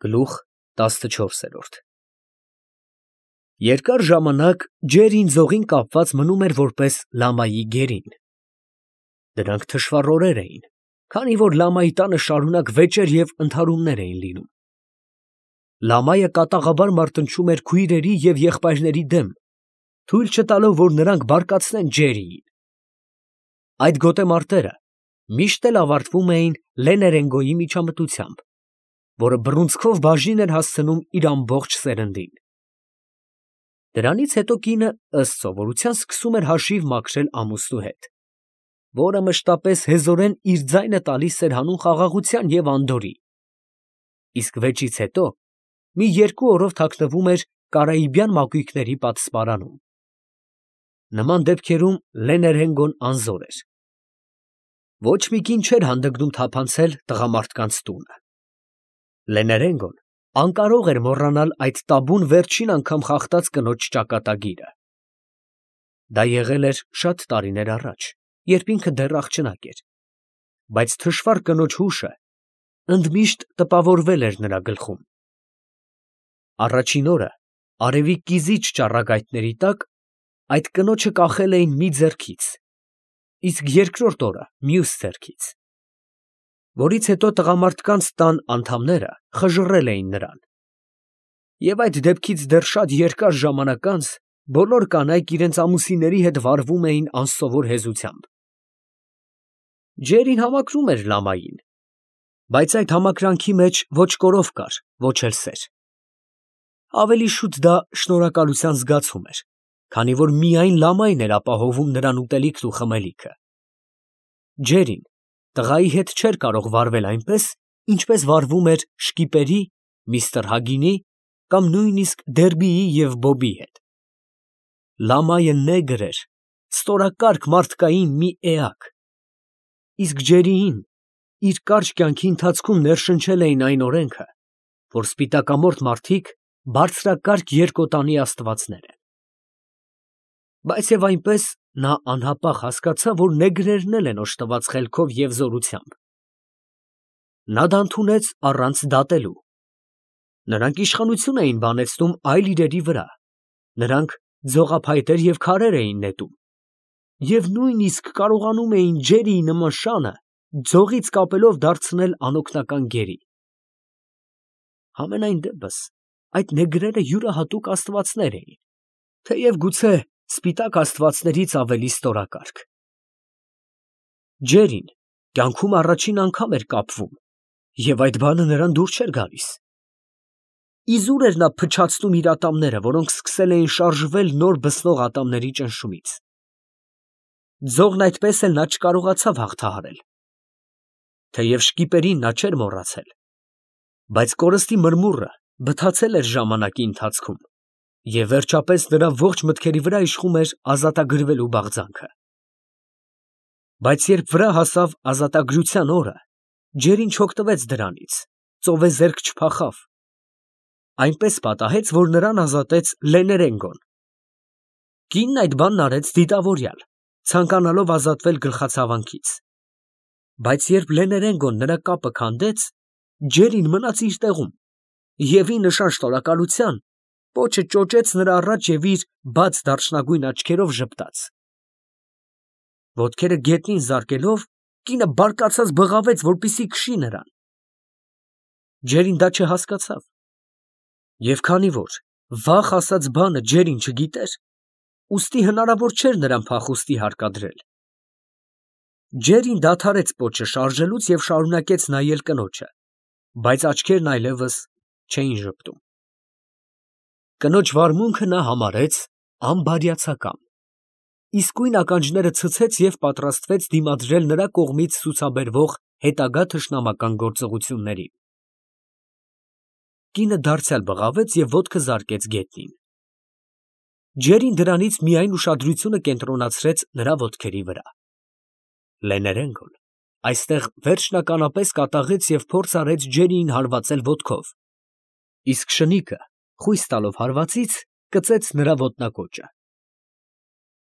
Գլուխ 14։ Երկար ժամանակ Ջերին ձողին կապված մնում էր որպես լամայի գերին։ Դրանք թշվառ օրեր էին, քանի որ լամայի տանը շարունակ վեճեր և ընդհարումներ էին լինում։ Լամայը կատաղաբար մարտնչում էր քույրերի և եղբայրների դեմ, թույլ չտալով, որ նրանք բարկացնեն Ջերիին։ Այդ գոտեմարտերը միշտ էլ ավարտվում էին Լեներենգոյի միջամտությամբ, որը բռունցքով բաժին էր հասցնում իր ամբողջ սերնդին։ Դրանից հետո կինը ըստ սովորության սկսում էր հաշիվ մաքրել ամուսնու հետ, որը մշտապես հեզորեն իր ձայնը տալիս էր հանուն խաղաղության և անդորրի, իսկ վեճից հետո մի 2 օրով թաքնվում էր կարաիբյան մակույկների պատսպարանում։ Նման դեպքերում Լեներենգոն անզոր էր։ Ոչ մի կին չէր հանդգնում թափանցել տղամարդկանց տունը։ Լեներենգոն անկարող էր մոռանալ այդ տաբուն վերջին անգամ խախտած կնոջ ճակատագիրը։ Դա եղել էր շատ տարիներ առաջ, երբ ինքը դեռ աղջնակ էր, բայց թշվառ կնոջ հուշը ընդմիշտ տպավորվել էր նրա գլխում։ Առաջին օրը արևի կիզիչ ճառագայթների տակ այդ կնոջը կախել էին մի ձեռքից, իսկ երկրորդ օրը մյուս ձեռքից, որից հետո տղամարդկանց տան անդամները խժռել էին նրան, և այդ դեպքից դեռ շատ երկար ժամանակ անց բոլոր կանայք իրենց ամուսինների հետ վարվում էին անսովոր հեզությամբ։ Ջերին համակրում էր լամային, բայց այդ համակրանքի մեջ ոչ կորով կար, ոչ էլ սեր։ Ավելի շուտ դա շնորհակալության զգացում էր, քանի որ միայն լամային էր ապահովում նրան ուտելիքն ու խմելիքը։ Ջերին տղայի հետ չէր կարող վարվել այնպես, ինչպես վարվում էր շկիպերի, միստր Հագինի կամ նույնիսկ Դերբիի և Բոբի հետ։ Լամայը նեգր էր, ստորակարգ մարդկային մի էակ, իսկ Ջերիին իր կարճ կյանքի ընթացքում ներշնչել էին այն օրենքը, որ սպիտակամորթ մարդիկ բարձրակարգ երկոտանի աստվածներ են։ Բայց և այնպես նա անհապաղ հասկացավ, որ նեգրերն էլ են օժտված խելքով և զորությամբ։ Նա դա ընդունեց առանց դատելու։ Նրանք իշխանություն էին բանեցնում այլ իրերի վրա, նրանք ձողափայտեր և քարեր էին նետում, և նույնիսկ կարողանում էին Ջերիի նման շանը ձողից կապելով դարձնել անօգնական գերի։ Համենայն դեպս այդ նեգրերը յուրահատուկ աստվածներ էին, թեև գուցե սպիտակ աստվածներից ավելի ստորակարգ։ Ջերին կյանքում առաջին անգամ էր կապվում, և այդ բանը նրան դուր չէր գալիս։ Իզուր էր նա փչացնում իր ատամները, որոնք սկսել էին շարժվել նոր բսնող ատամների ճնշումից։ Ձողն այդպես էլ նա չկարողացավ հաղթահարել։ Թեև շկիպերին նա չէր մոռացել, բայց կորստի մրմուռը բթացել էր ժամանակի ընթացքում, և վերջապես նրա ողջ մտքերի վրա իշխում էր ազատագրվելու բաղձանքը։ Բայց երբ վրա հասավ ազատագրության օրը, Ջերին չօգտվեց դրանից, ծովեզերք չփախավ, այնպես պատահեց, որ նրան ազատեց Լեներենգոն։ Կինն այդ բանն արեց դիտավորյալ, ցանկանալով ազատվել գլխացավանքից, բայց երբ Լեներենգոն նրա կապը քանդեց, Ջերին մնաց իր տեղում և ի նշան շնորհակալության պոչը ճոճեց նրա առաջ և իր բաց դարչնագույն աչքերով ժպտաց։ Ոտքերը գետնին զարկելով, կինը բարկացած բղավեց, որպեսզի քշի նրան։ Ջերին դա չհասկացավ, և քանի որ վաղ ասած բանը Ջերին չգիտեր, ուստի հնարավոր չէր նրան փախուստի հարկադրել։ Ջերին դադարեց պոչը շարժելուց և շարունակեց նայել կնոջը, բայց աչքերն այլևս չէին ժպտում։ Կնոջ վարմունքը նա համարեց անբարյացակամ, իսկույն ականջները ցցեց և պատրաստվեց դիմադրել նրա կողմից ցուցաբերվող հետագա թշնամական գործողություններին։ Կինը դարձյալ բղավեց և ոտքը զարկեց գետնին։ Ջերին դրանից միայն ուշադրությունը կենտրոնացրեց նրա ոտքերի վրա։ Լեներենգոն այստեղ վերջնականապես կատաղեց և փորձ արեց Ջերիին հարվածել ոտքով, իսկ շնիկը, խույս տալով հարվածից, կծեց նրա ոտնակոճը։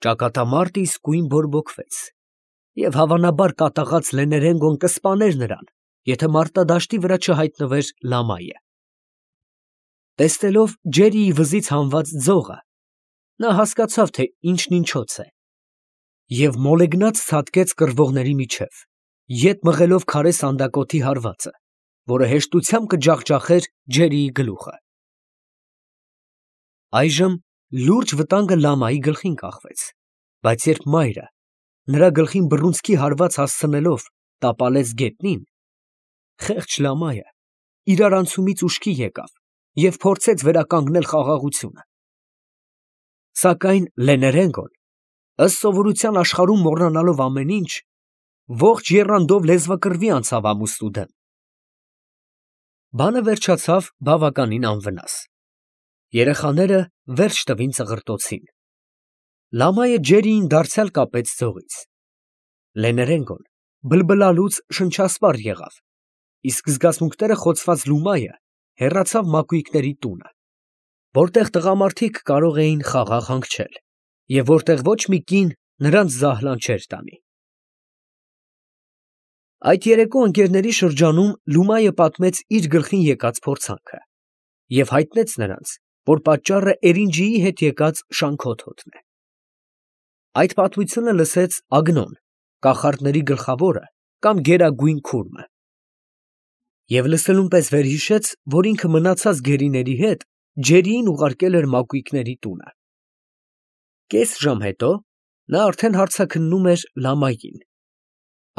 Ճակատամարտը իսկույն բորբոքվեց, և հավանաբար կատաղած Լեներենգոն կսպաներ նրան, եթե մարտադաշտի վրա չհայտնվեր լամայը։ Տեսնելով Ջերիի վզից հանված ձողը, նա հասկացավ, թե ինչն ինչոց է, և մոլեգնած ցատկեց կռվողների միջև, ետ մղելով քարե սանդակոթի հարվածը, որը հեշտությամբ կջախջախեր Ջերիի գլուխը։ Այժմ լուրջ վտանգը լամայի գլխին կախվեց, բայց երբ մայրը նրա գլխին բռունցքի հարված հասցնելով տապալեց գետնին, խեղճ լամայը իրարանցումից ուշքի եկավ և փորձեց վերականգնել խաղաղությունը։ Սակայն Լեներենկոն, ըստ սովորության աշխարհում մոռանալով ամեն ինչ, ողջ եռանդով լեզվակռվի անցավ ամուսնու դեմ։ Բանը վերջացավ բավականին անվնաս։ Երեխաները վերջ տվին ծղրտոցին։ Լամայը Ջերիին դարձյալ կապեց ձողից։ Լեներենկոն բլբլալուց շնչասպառ եղավ, իսկ զգացմունքները խոցված Լումայը հեռացավ մակույկների տունը, որտեղ տղամարդիկ կարող էին խաղաղ հանգչել և որտեղ ոչ մի կին նրանց զահլան չէր տանի։ Այդ երեկո ընկերների շրջանում Լումայը պատմեց իր գլխին եկած փորձանքը և հայտնեց նրանց, որ պատճառը Էրինջիի հետ եկած շանքոթոթն է։ Այդ պատմությունը լսեց Ագնոն, կախարդների գլխավորը կամ գերագույն քուրմը, և լսելուն պես վերհիշեց, որ ինքը մնացած գերիների հետ Ջերիին ուղարկել էր մակույկների տունը։ Կես ժամ հետո նա արդեն հարցաքննում էր լամային։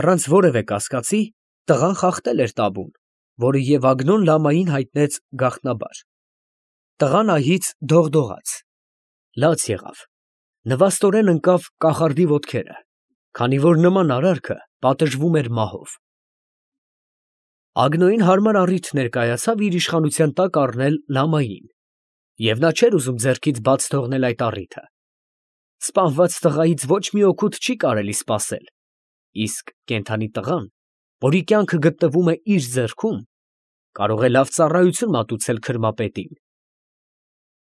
Առանց որևէ կասկածի տղան խախտել էր տաբուն, որը և Ագնոն լամային հայտնեց գաղտնաբար։ Տղան ահից դողդողաց, լաց եղավ, նվաստորեն ընկավ կախարդի ոտքերը, քանի որ նման արարքը պատժվում էր մահով։ Ագնոյին հարմար առիթ ներկայացավ իր իշխանության տակ առնել լամային, և նա չէր ուզում ձեռքից բաց թողնել այդ առիթը։ Սպանված տղայից ոչ մի օգուտ չի կարելի սպասել, իսկ կենդանի տղան, որի կյանքը գտնվում է իր ձեռքում, կարող է լավ ծառայություն մատուցել քրմապետին։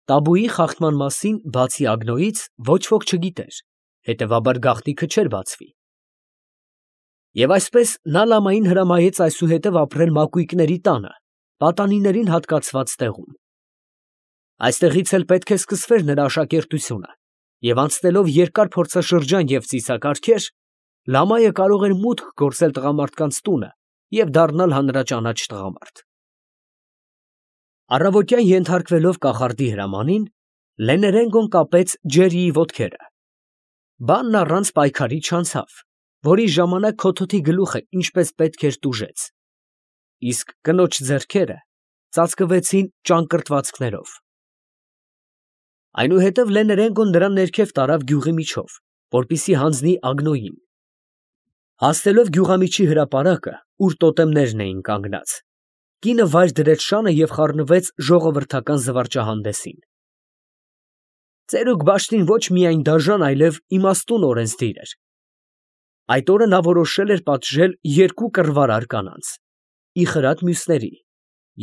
Տաբուի խախտման մասին բացի Ագնոյից ոչ ոք չգիտեր, հետևաբար գաղտնիքը չէր բացվի։ Եվ այսպես նա լամային հրամայեց այսուհետև ապրել մակույկների տանը, պատանիներին հատկացված տեղում։ Այստեղից էլ պետք է սկսվեր նրա աշակերտությունը, և անցնելով երկար փորձաշրջան և ծիսակարգեր, լամայը կարող էր մուտք գործել տղամարդկանց տունը և դառնալ հանրաճանաչ տղամարդ։ Առավոտյան ենթարկվելով կախարդի հրամանին, Լեներենկոն կապեց Ջերիի ոտքերը։ Բանն առանց պայքարի չանցավ, որի ժամանակ քոթոթի գլուխը ինչպես պետք էր տուժեց, իսկ կնոջ ձեռքերը ծածկվեցին ճանկռտվածքներով։ Այնուհետև Լեներենկոն նրան ներքև տարավ գյուղի միջով, որպեսզի հանձնի Ագնոյին։ Հասնելով գյուղամիջի հրապարակը, ուր տոտեմներն էին կանգնած, կինը վայր դրեց շանը և խառնվեց ժողովրդական զվարճահանդեսին։ Ծերուկ Բաշտին ոչ միայն դաժան, այլև իմաստուն օրենսդիր էր։ Այդ օրը նա որոշել էր պատժել 2 կռվարար կանանց, ի խրատ մյուսների,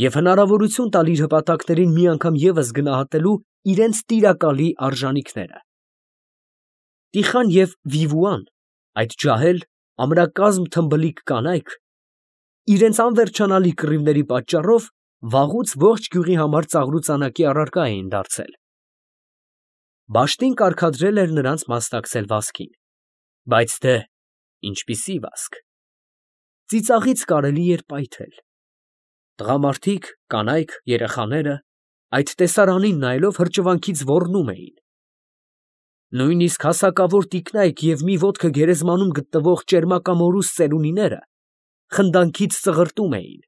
և հնարավորություն տալ իր հպատակներին մի անգամ ևս գնահատելու իրենց տիրակալի արժանիքները։ Տիխան և Վիվուան, այդ ջահել, ամրակազմ թմբլիկ կանայք, իրենց անվերջանալի կռիվների պատճառով վաղուց ողջ գյուղի համար ծաղրուծանակի առարկա էին դարձել։ Բաշտին կարգադրել էր նրանց մասնակցել վազքին, բայց դե, ինչպիսի վազք։ Ծիծաղից կարելի էր պայթել։ Տղամարդիկ, կանայք, երեխաները այդ տեսարանին նայելով հրճվանքից ոռնում էին։ Նույնիսկ հասակավոր տիկնայք և մի ոտքը գերեզմանում գտնվող ճերմակամորուս ծերունիները խնդանքից ծղրտում էին։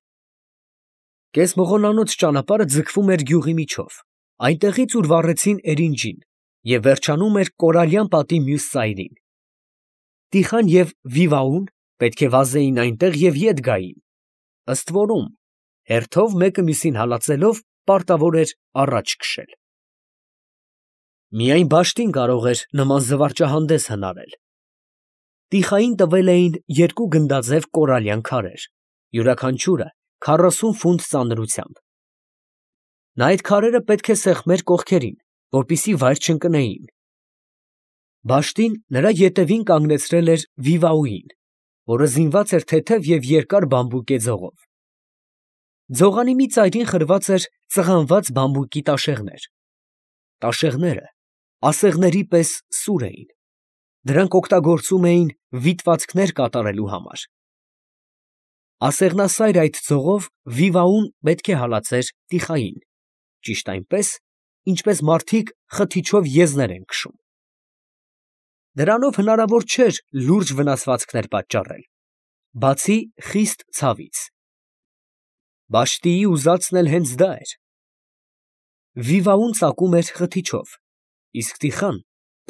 Կեսմղոնանոց ճանապարհը ձգվում էր գյուղի միջով, այնտեղից, ուր վառեցին Էրինջին, և վերջանում էր Կորալյան պատի մյուս ծայրին։ Տիխան և Վիվաուն պետք է վազեին այնտեղ և ետ գային, ըստ որում, հերթով մեկը մյուսին հալածելով պարտավոր էր առաջ քշել։ Միայն Բաշտին կարող էր նման զվարճահանդես հնարել։ Տիխային տվել էին 2 գնդաձև կորալյան քարեր, յուրաքանչյուրը 40 ֆունտ ծանրությամբ։ Նա այդ քարերը պետք է սեղմեր կողքերին, որպեսզի վայր չընկնեին։ Բաշտին նրա ետևին կանգնեցրել էր Վիվաուին, որը զինված էր թեթև և երկար բամբուկե ձողով։ Ձողանի մի ծայրին խրված էր ծղանված բամբուկի տաշեղներ։ Տաշեղները ասեղների պես սուր էին, դրանք օգտագործում էին վիտվածքներ կատարելու համար։ Ասեղնասայր այդ ձողով Վիվային պետք է հալածեր տիխային, ճիշտ այնպես, ինչպես մարդիկ խթիչով եզներ են քշում։ Դրանով հնարավոր չէր լուրջ վնասվածքներ պատճառել, բացի խիստ ցավից։ Բաշտիի ուզածն էլ հենց դա էր։ Վիվային ծակում էր խթիչով, իսկ տիխան,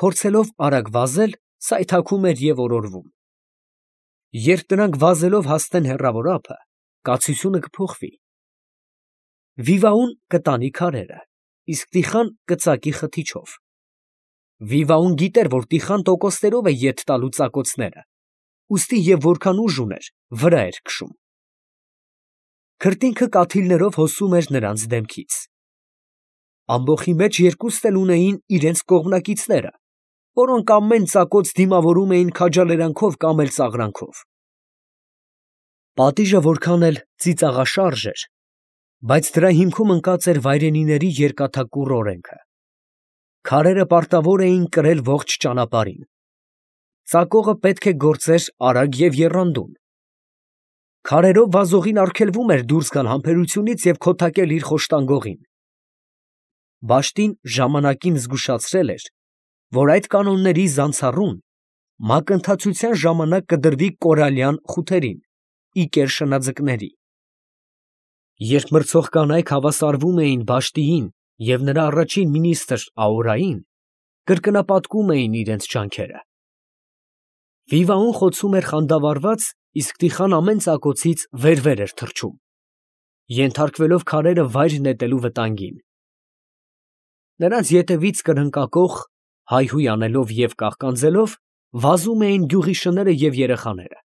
փորձելով արագ վազել, սայթաքում էր և օրորվում։ Երբ նրանք վազելով հասնեն հեռավոր ափը, կացությունը կփոխվի։ Վիվային կտանի քարերը, իսկ տիխան կծակի խթիչով։ Վիվային գիտեր, որ տիխան տոկոսներով է ետ տալու ծակոցները, ուստի և որքան ուժ ուներ, վրա էր քշում։ Քրտինքը կաթիլներով հոսում էր նրանց դեմքից։ Ամբոխի մեջ երկուստ էլ ունեին իրենց կողմնակիցները, որոնք ամեն ծակոց դիմավորում էին քաջալերանքով կամ էլ ծաղրանքով։ Պատիժը որքան էլ ծիծաղաշարժ էր, բայց դրա հիմքում ընկած էր վայրենիների երկաթակուռ օրենքը։ Քարերը պարտավոր էին կրել ողջ ճանապարհին։ Ծակողը պետք է գործեր արագ և եռանդուն։ Քարերով վազողին արգելվում էր դուրս գալ համբերությունից և քոթակել իր խոշտանգողին։ Բաշտին ժամանակին զգուշացրել էր, որ այդ կանոնների զանցառուն մակընթացության ժամանակ կդրվի կորալյան խութերին, ի կեր շնաձկների։ Երբ մրցող կանայք հավասարվում էին Բաշտիին և նրա առաջին մինիստր Աուրային, կրկնապատկում էին իրենց ջանքերը։ Վիվային խոցում էր խանդավառված, իսկ տիխան ամեն ծակոցից վեր էր թռչում, ենթարկվելով քարերը վայր նետելու վտանգին։ Նրանց ետևից կրնկակոխ, հայհույն անելով և կաղկանձելով, վազում էին գյուղի շները և երեխաները։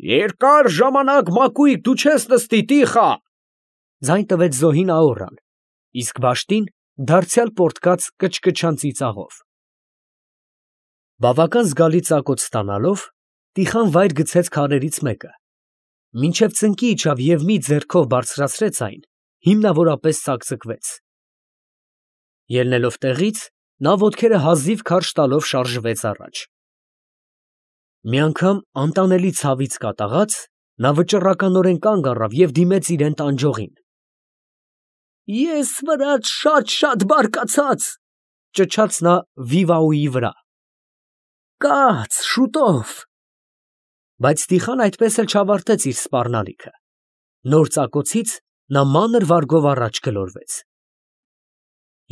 «Երկար ժամանակ մակույկ դու չես նստի, տիխա», ֊ ձայն տվեց զոհին Աուրան, իսկ Բաշտին դարձյալ պոռթկաց կչկչան ծիծաղով։ Բավական զգալի ծակոց ստանալով, տիխան վայր գցեց քարերից մեկը, մինչև ծնկի իջավ և մի ձեռքով բարձրացրեց այն, հիմնավորապես ծակծկվեց։ Ելնելով տեղից, նա ոտքերը հազիվ քարշ տալով շարժվեց առաջ։ Մի անգամ անտանելի ցավից կատաղած, նա վճռականորեն կանգ առավ և դիմեց իրան տանջողին։ «Ես վրաց շատ բարկացած», ֊ ճչաց նա Վիվայիի վրա։ «Կաց, շուտով»։ Բայց տիխան այդպես էլ չավարտեց իր սպառնալիքը։ Նոր ծակոցից նա մանր վարգով առաջ գլորվեց։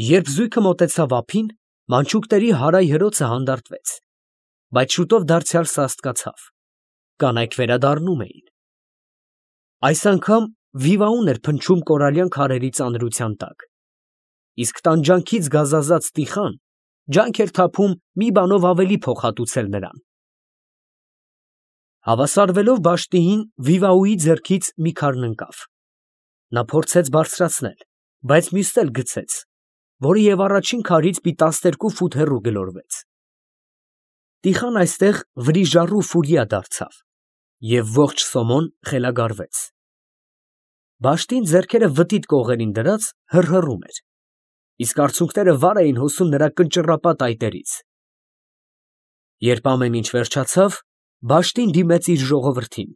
Երբ զույգը մոտեցավ ափին, մանչուկների հարայ հրոցը հանդարտվեց, բայց շուտով դարձյալ սաստկացավ։ Կանայք վերադառնում էին։ Այս անգամ Վիվային էր փնչում կորալյան քարերի ծանրության տակ, իսկ տանջանքից գազազած տիխան ջանք էր թափում մի բանով ավելի փոխհատուցել նրան։ Հավասարվելով Բաշտիին, Վիվայիի ձեռքից մի քարն ընկավ։ Նա փորձեց բարձրացնել, բայց մյուսն էլ գցեց, որը և առաջին քարից մի 12 ֆուտ հեռու գլորվեց։ Տիխան այստեղ վրիժառու ֆուրիա դարձավ և ողջ սոմոն խելագարվեց։ Բաշտին ձեռքերը վտիտ կողերին դրած հռհռում էր, իսկ արցունքները վար էին հոսում նրա կնճռապատ այտերից։ Երբ ամեն ինչ վերջացավ, Բաշտին դիմեց իր ժողովրդին.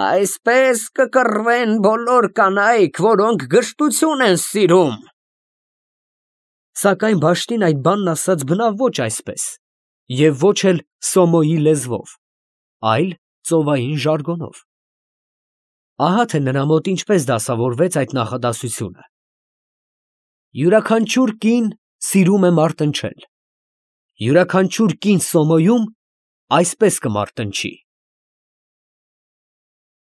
«Այսպես կկռվեն բոլոր կանայք, որոնք գրստություն են սիրում»։ Սակայն Բաշտին այդ բանն ասաց բնավ ոչ այսպես և ոչ էլ Սոմոյի լեզվով, այլ ծովային ժարգոնով։ Ահա թե նրա մոտ ինչպես դասավորվեց այդ նախադասությունը. «Յուրաքանչյուր կին սիրում է մարտնչել, յուրաքանչյուր կին Սոմոյում այսպես կմարտնչի»։